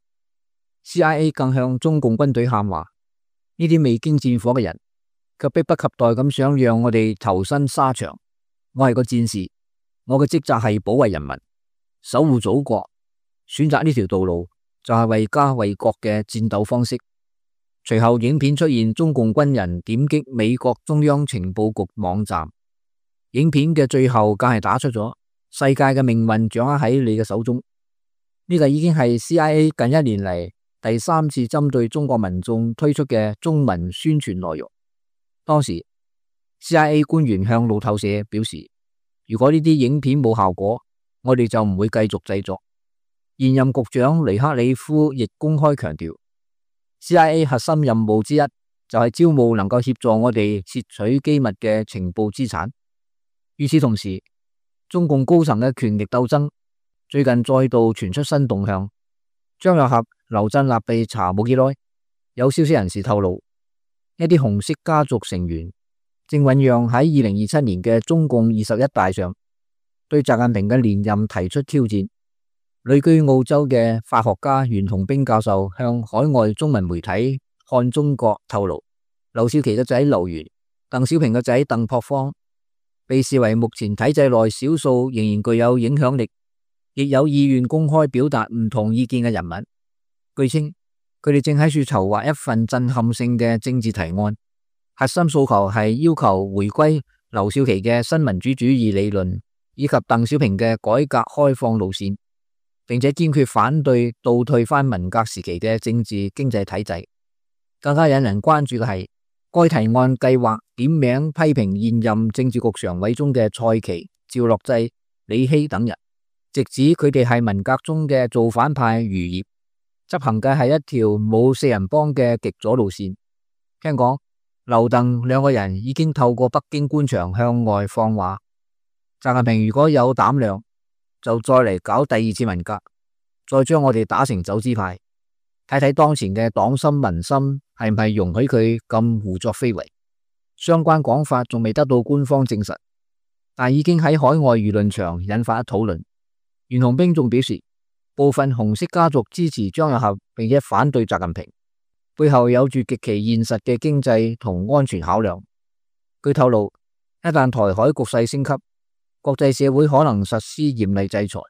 C I A 更向中共軍隊喊話：呢啲未經戰火嘅人，卻迫不及待咁想讓我哋投身沙場。我係個戰士，我嘅職責係保衛人民，守護祖國，選擇呢條道路就係為家為國嘅戰鬥方式。隨後影片出現中共軍人點擊美國中央情報局網站，影片嘅最後更係打出咗世界嘅命運掌握喺你嘅手中。呢個已經係 C I A 近一年嚟第三次針對中國民眾推出嘅中文宣傳內容。當時 C I A 官員向路透社表示，如果呢啲影片冇效果，我哋就唔會繼續製作。現任局長尼克里夫亦公開強調 C I A 核心任務之一就係招募能夠協助我哋竊取機密嘅情報資產。與此同時，中共高層嘅權力鬥爭最近再度傳出新動向。張又俠、劉振立被查冇幾耐，有消息人士透露，一啲紅色家族成員正醞釀喺二零二七年嘅中共二十一大上對習近平嘅連任提出挑戰。旅居澳洲嘅法學家袁同兵教授向海外中文媒體看中國透露，劉少奇嘅仔劉源、鄧小平嘅仔鄧樸方被視為目前體制內少數仍然具有影響力，亦有意願公開表達唔同意見嘅人物。據稱，佢哋正喺處籌劃一份震撼性嘅政治提案，核心訴求係要求回歸劉少奇嘅新民主主義理論，以及鄧小平嘅改革開放路線，並且堅決反對倒退翻文革時期嘅政治經濟體制。更加引人關注嘅係，該提案計劃點名批評現任政治局常委中嘅蔡奇、趙樂際、李希等人，直指佢哋係文革中嘅造反派餘孽。執行嘅係一條冇四人幫嘅極左路線。聽講劉鄧兩個人已經透過北京官場向外放話，習近平如果有膽量，就再嚟搞第二次文革，再將我哋打成走資派，睇睇當前嘅黨心民心係唔係容許佢咁胡作非為。相關講法仲未得到官方證實，但已經喺海外輿論場引發討論。袁洪兵仲表示，部分紅色家族支持張又俠並且反對習近平，背後有住極其現實嘅經濟同安全考量。據透露，一旦台海局勢升級，國際社會可能實施嚴厲制裁，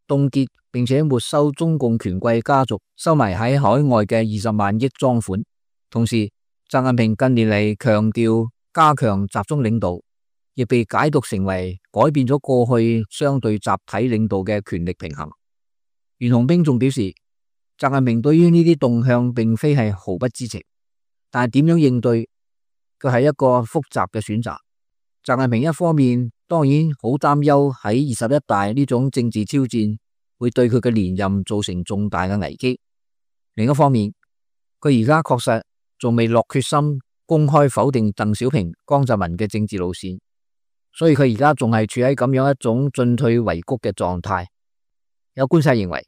凍結並且沒收中共權貴家族收埋喺海外嘅二十萬億贓款。同時，習近平近年嚟強調加強集中領導，亦被解讀成為改變咗過去相對集體領導嘅權力平衡。袁洪兵仲表示，習近平對於呢啲動向並非係毫不知情，但係點樣應對，佢係一個複雜嘅選擇。習近平一方面當然好擔憂喺二十一大呢種政治挑戰會對佢嘅連任造成重大嘅危機，另一方面佢而家確實仲未落決心公開否定鄧小平、江澤民嘅政治路線，所以佢而家仲係處喺咁樣一種進退維谷嘅狀態。有觀察認為，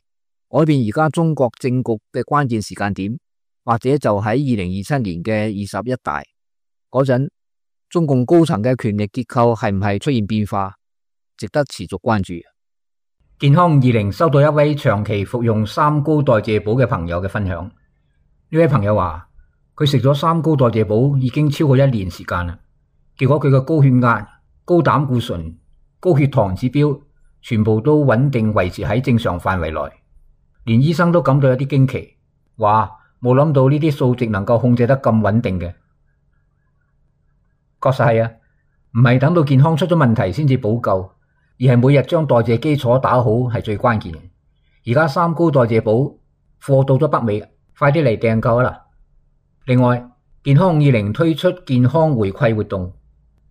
改變而家中國政局嘅關鍵時間點，或者就喺二零二七年嘅二十一大嗰陣，中共高層嘅權力結構係唔係出現變化，值得持續關注。健康二零收到一位長期服用三高代謝寶嘅朋友嘅分享，呢位朋友話佢食咗三高代謝寶已經超過一年時間啦，結果佢嘅高血壓、高膽固醇、高血糖指標全部都穩定維持喺正常範圍內，連醫生都感到有啲驚奇，話冇諗到呢啲數值能夠控制得咁穩定嘅。確實係啊，唔係等到健康出咗問題先至補救，而係每日將代謝基礎打好係最關鍵嘅。而家三高代謝寶貨到咗北美，快啲嚟訂購啦！另外，健康二零推出健康回饋活動，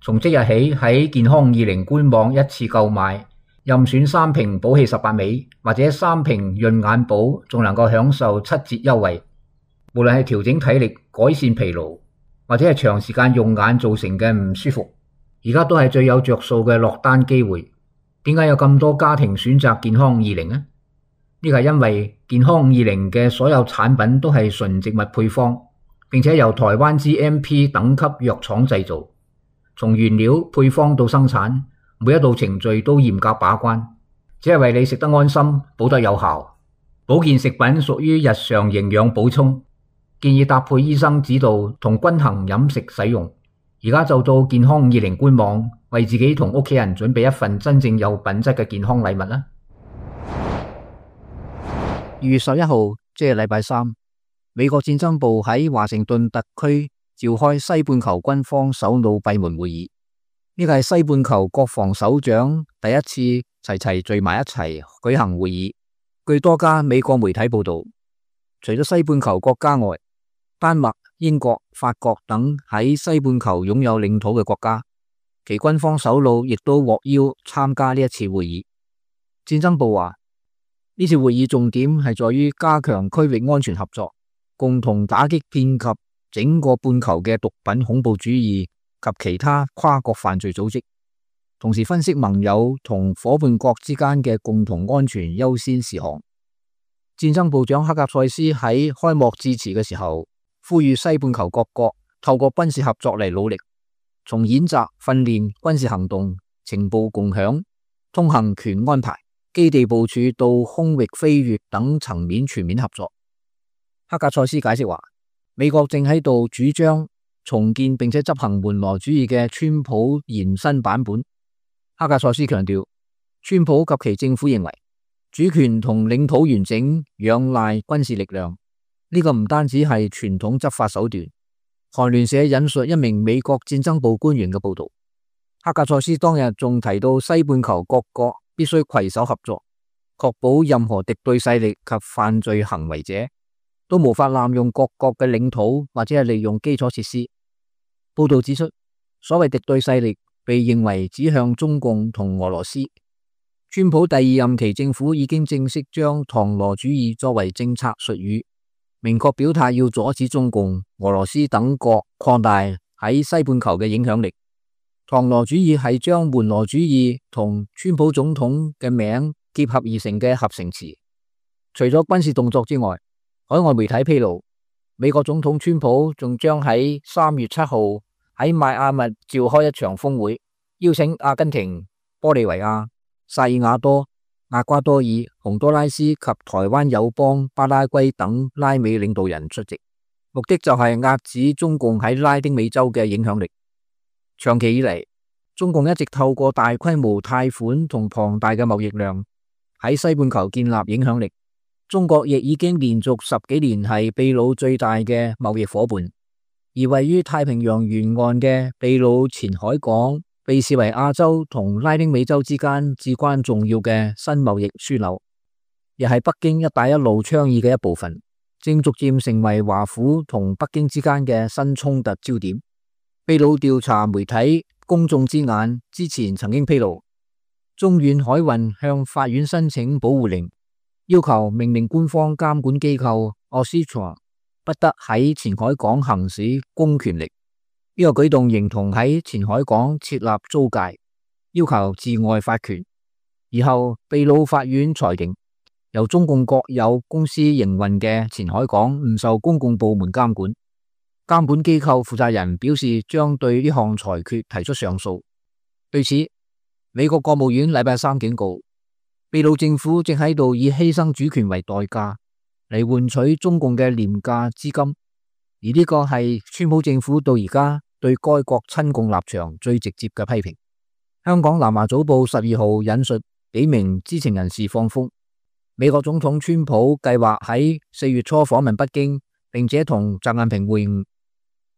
從即日起喺健康二零官網一次購買，任選三瓶寶氣十八味或者三瓶潤眼寶，仲能夠享受七折優惠。無論係調整體力、改善疲勞，或者係長時間用眼造成嘅唔舒服，而家都係最有着數嘅落單機會。點解有咁多家庭選擇健康二零呢？呢個係因為健康二零嘅所有產品都係純植物配方，並且由台灣 G M P 等級藥廠製造，從原料配方到生產，每一道程序都嚴格把關，只係為你食得安心，補得有效。保健食品屬於日常營養補充，建議搭配醫生指導同均衡飲食使用。而家就到健康二零官網，為自己同屋企人準備一份真正有品質嘅健康禮物啦。二月十一號，即係禮拜三，美國戰爭部喺華盛頓特區召開西半球軍方首腦閉門會議。呢個係西半球國防首長第一次齊齊聚埋一齊舉行會議。據多家美國媒體報道，除咗西半球國家外，丹麥、英國、法國等喺西半球擁有領土嘅國家，其軍方首腦亦都獲邀參加呢一次會議。戰爭部話，呢次會議重點係在於加強區域安全合作，共同打擊遍及整個半球嘅毒品恐怖主義及其他跨國犯罪組織，同時分析盟友同夥伴國之間嘅共同安全優先事項。戰爭部長克格塞斯喺開幕致辭嘅時候，呼籲西半球各國透過軍事合作嚟努力，從演習、訓練、軍事行動、情報共享、通行權安排、基地部署到空域飛越等層面全面合作。克格塞斯解釋話，美國正喺度主張重建並且執行門羅主義嘅川普延伸版本。克格塞斯強調，川普及其政府認為主權同領土完整仰賴軍事力量，呢個唔單止係傳統執法手段。韓聯社引述一名美國戰爭部官員嘅報道，克格塞斯當日仲提到西半球各國必須攜手合作，確保任何敵對勢力及犯罪行為者都無法濫用各國嘅領土或者係利用基礎設施。報道指出，所謂敵對勢力被認為指向中共同俄羅斯。川普第二任期政府已經正式將唐羅主義作為政策術語，明確表態要阻止中共、俄羅斯等國擴大喺西半球嘅影響力。唐羅主義係將門羅主義同川普總統嘅名結合而成嘅合成詞。除咗軍事動作之外，海外媒體披露，美國總統川普仲將喺三月七號喺邁阿密召開一場峰會，邀請阿根廷、玻利維亞、薩爾瓦多、厄瓜多爾、洪都拉斯及台灣友邦巴拉圭等拉美領導人出席，目的就係遏止中共喺拉丁美洲嘅影響力。長期以嚟，中共一直透過大規模貸款同龐大嘅貿易量喺西半球建立影響力。中國亦已經連續十幾年係秘魯最大嘅貿易夥伴，而位於太平洋沿岸嘅秘魯前海港被視為亞洲同拉丁美洲之間至關重要嘅新貿易樞紐，亦係北京一帶一路倡議嘅一部分，正逐漸成為華府同北京之間嘅新衝突焦點。秘魯調查媒體公眾之眼之前曾經披露，中遠海運向法院申請保護令，要求命令官方監管機構 Oxitron 不得喺前海港行使公權力。呢個舉動形同喺前海港設立租界，要求自外發權。而後秘魯法院裁定，由中共國有公司營運嘅前海港唔受公共部門監管。監管機構負責人表示將對呢項裁決提出上訴。對此，美國國務院禮拜三警告，秘魯政府正喺度以犧牲主權為代價嚟換取中共嘅廉價資金。而呢個係川普政府到而家對該國親共立場最直接嘅批評。香港南華早報十二號引述幾名知情人士放風，美國總統川普計劃喺四月初訪問北京，並且同習近平會晤。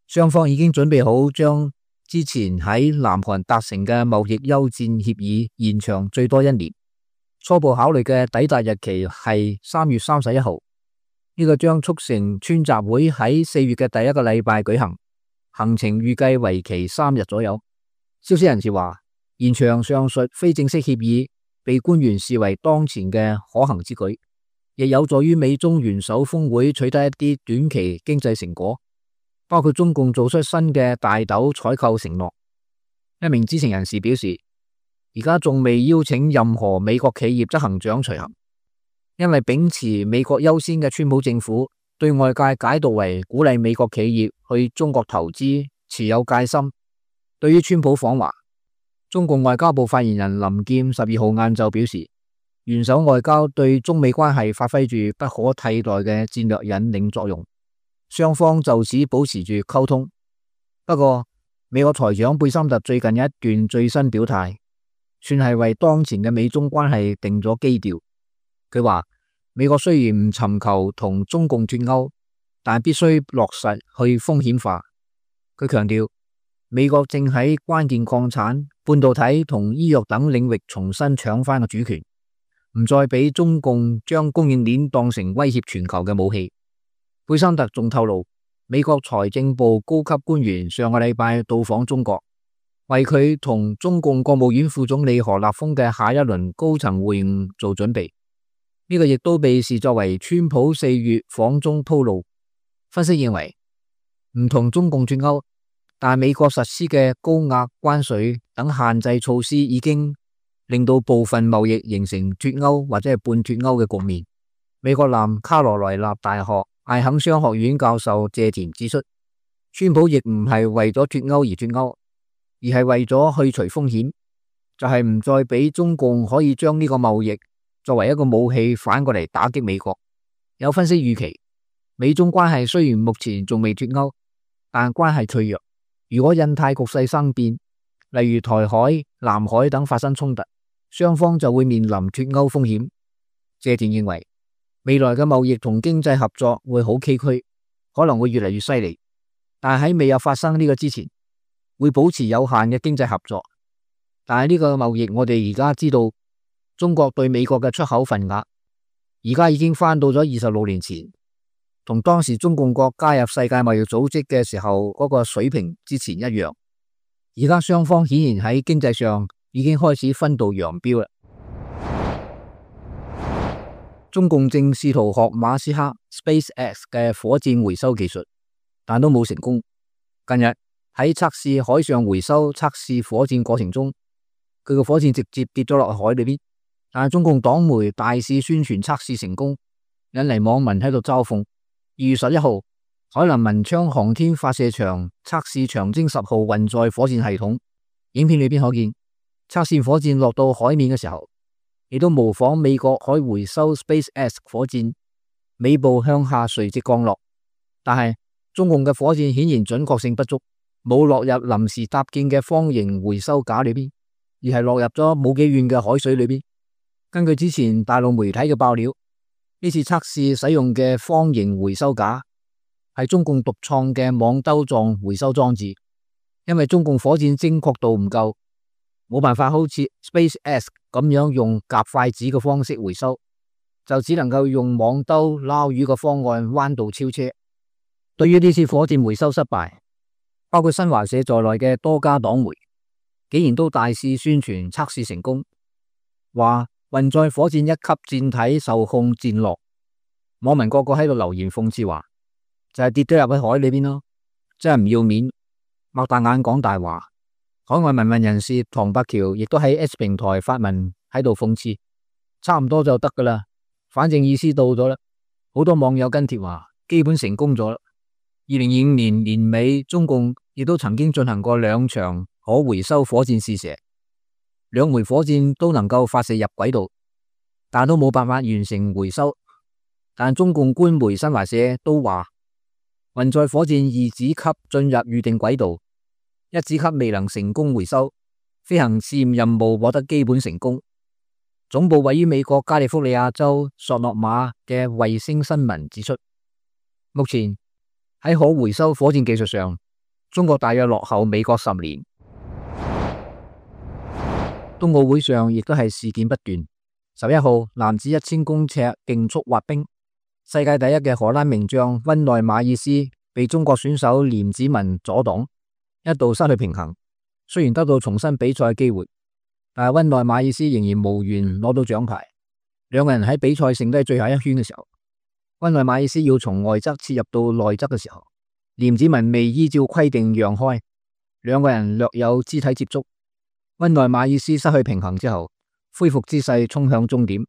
雙方已經準備好將之前喺南韓達成嘅貿易休戰協議延長最多一年。初步考慮嘅抵達日期係三月三十一號。呢個將促成川習會喺四月嘅第一個禮拜舉行，行程預計為期三日左右。消息人士話，延長上述非正式協議被官員視為當前嘅可行之舉，亦有助於美中元首峰會取得一啲短期經濟成果，包括中共做出新嘅大豆採購承諾。一名知情人士表示，而家仲未邀請任何美國企業執行長隨行。因為秉持美國優先嘅川普政府對外界解讀為鼓勵美國企業去中國投資持有戒心。對於川普訪華，中共外交部發言人林劍十二號晏晝表示，元首外交對中美關係發揮住不可替代嘅戰略引領作用，雙方就此保持住溝通。不過，美國財長貝森特最近一段最新表態，算係為當前嘅美中關係定咗基調。佢話美國雖然唔尋求同中共脫鈎，但必須落實去風險化。佢強調，美國正喺關鍵礦產、半導體同醫藥等領域重新搶翻個主權，唔再俾中共將供應鏈當成威脅全球嘅武器。貝森特仲透露，美國財政部高級官員上個禮拜到訪中國，為佢同中共國務院副總理何立峰嘅下一輪高層會晤做準備。呢個亦都被視作為川普四月訪中鋪路。分析認為，唔同中共脫鈎，但美國實施嘅高額關稅等限制措施已經令到部分貿易形成脫鈎或者係半脫鈎嘅局面。美國南卡羅來納大學艾肯商學院教授謝田指出，川普亦唔係為咗脫鈎而脫鈎，而係為咗去除風險，就係唔再俾中共可以將呢個貿易作為一個武器反過嚟打擊美國。有分析預期，美中關係雖然目前仲未脫鈎，但關係脆弱。如果印太局勢生變，例如台海、南海等發生衝突，雙方就會面臨脫鈎風險。謝田認為，未來嘅貿易同經濟合作會好崎嶇，可能會越嚟越犀利。但喺未有發生呢個之前，會保持有限嘅經濟合作。但係呢個貿易，我哋而家知道，中國對美國嘅出口份額，而家已經翻到咗二十六年前，同當時中共國加入世界貿易組織嘅時候嗰個水平之前一樣。而家雙方顯然喺經濟上已經開始分道揚鑣啦。中共正試圖學馬斯克 SpaceX 嘅火箭回收技術，但都冇成功。近日喺測試海上回收測試火箭過程中，佢個火箭直接跌咗落海裏邊，但係中共黨媒大肆宣傳測試成功，引嚟網民喺度嘲諷。二月十一號，海南文昌航天發射場測試長征十號運載火箭系統，影片裏邊可見測試火箭落到海面嘅時候，亦都模仿美國海回收 SpaceX 火箭尾部向下垂直降落，但係中共嘅火箭顯然準確性不足，冇落入臨時搭建嘅方形回收架裏邊，而係落入咗冇幾遠嘅海水裏邊。根據之前大陸媒體嘅爆料，呢次測試使用嘅方形回收架係中共獨創嘅網兜狀回收裝置，因為中共火箭精確度唔夠，冇辦法好似 SpaceX 咁樣用夾筷子嘅方式回收，就只能夠用網兜撈魚嘅方案彎道超車。對於呢次火箭回收失敗，包括新華社在內嘅多家黨媒竟然都大肆宣傳測試成功，話運載火箭一級艦體受控戰落。網民個個喺度留言諷刺話，就係、是、跌咗入去海裏邊咯，真係唔要面，擘大眼講大話。海外民運人士唐伯橋亦都喺 X 平台發文喺度諷刺，差唔多就得噶啦，反正意思到咗啦。好多網友跟帖話，基本成功咗啦。二零二五年年尾，中共亦都曾經進行過兩場可回收火箭試射，兩枚火箭都能夠發射入軌道，但都冇辦法完成回收。但中共官媒新華社都話，運載火箭二子級進入預定軌道，一子級未能成功回收，飛行試驗任務獲得基本成功。總部位於美國加利福尼亞州索諾馬嘅衛星新聞指出，目前喺可回收火箭技術上，中國大約落後美國十年。冬奧會上亦都係事件不斷。十一號男子一千公尺競速滑冰，世界第一嘅荷蘭名將溫內馬爾斯被中國選手廉子文阻擋，一度失去平衡。雖然得到重新比賽嘅機會，但係溫內馬爾斯仍然無緣攞到獎牌。兩個人喺比賽剩低最後一圈嘅時候，溫內馬爾斯要從外側切入到內側嘅時候，廉子文未依照規定讓開，兩個人略有肢體接觸。溫內馬爾斯失去平衡之後，恢復姿勢衝向終點。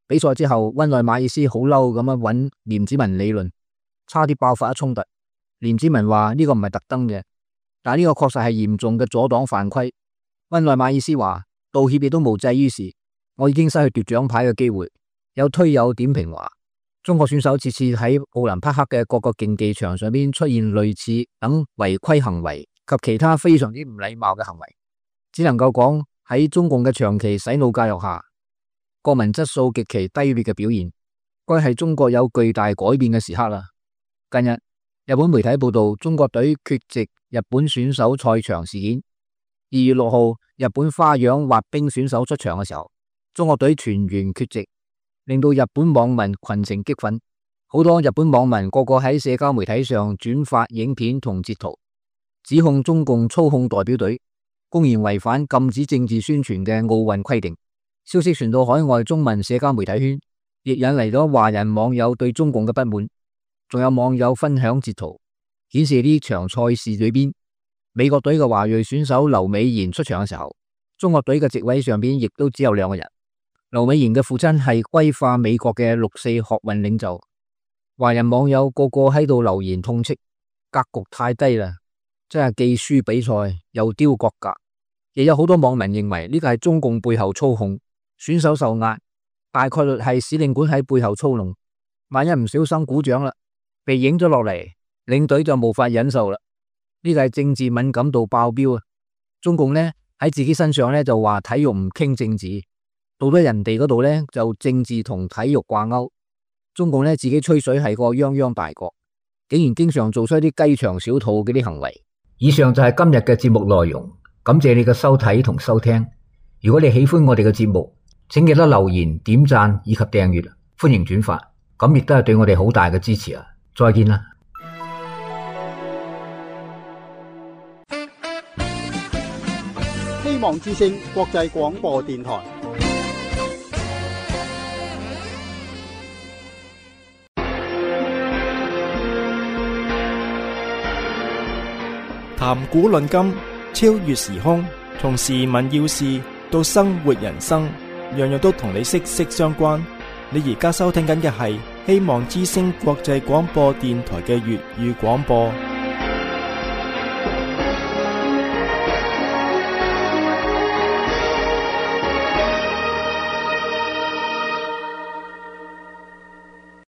比賽之後，溫內馬爾斯好嬲咁樣揾廉子文理論，差啲爆發一衝突。廉子文話呢個唔係特登嘅，但係呢個確實係嚴重嘅阻擋犯規。溫內馬爾斯話道歉亦都無濟於事，我已經失去奪獎牌嘅機會。有推友點評話，中國選手次次喺奧林匹克嘅各個競技場上邊出現類似等違規行為及其他非常之唔禮貌嘅行為，只能夠講喺中共嘅長期洗腦教育下，國民質素極其低劣嘅表現，該係中國有巨大改變嘅時刻啦。近日日本媒體報道中國隊缺席日本選手賽場事件。二月六號日本花樣滑冰選手出場嘅時候，中國隊全員缺席，令到日本網民群情激憤。好多日本網民個個喺社交媒體上轉發影片同截圖，指控中共操控代表隊，公然違反禁止政治宣傳嘅奧運規定。消息傳到海外中文社交媒體圈，亦引嚟咗華人網友對中共嘅不滿。仲有網友分享截圖，顯示呢場賽事裏邊，美國隊嘅華裔選手劉美賢出場嘅時候，中國隊嘅席位上邊亦都只有兩個人。劉美賢嘅父親係歸化美國嘅六四學運領袖。華人網友個個喺度留言痛斥，格局太低啦，真係既輸比賽又丟國格。亦有好多網民認為呢個係中共背後操控，選手受壓，大概率係使領館喺背後操弄。萬一唔小心鼓掌啦，被影咗落嚟，領隊就無法忍受啦。呢個係政治敏感度爆表啊！中共呢喺自己身上呢就話體育唔傾政治，到咗人哋嗰度呢就政治同體育掛鈎。中共呢自己吹水係個泱泱大國，竟然經常做出一啲雞腸小肚嗰啲行為。以上就係今日嘅節目內容，感謝你嘅收睇同收聽。如果你喜歡我哋嘅節目，請記得留言、點讚以及訂閱，歡迎轉發，咁亦都係對我哋好大嘅支持啊！再見啦！希望之聲國際廣播電台。談古論今，超越時空，從時聞要事到生活人生，樣樣都同你息息相關。你而家收聽緊嘅係希望之聲國際廣播電台嘅粵語廣播。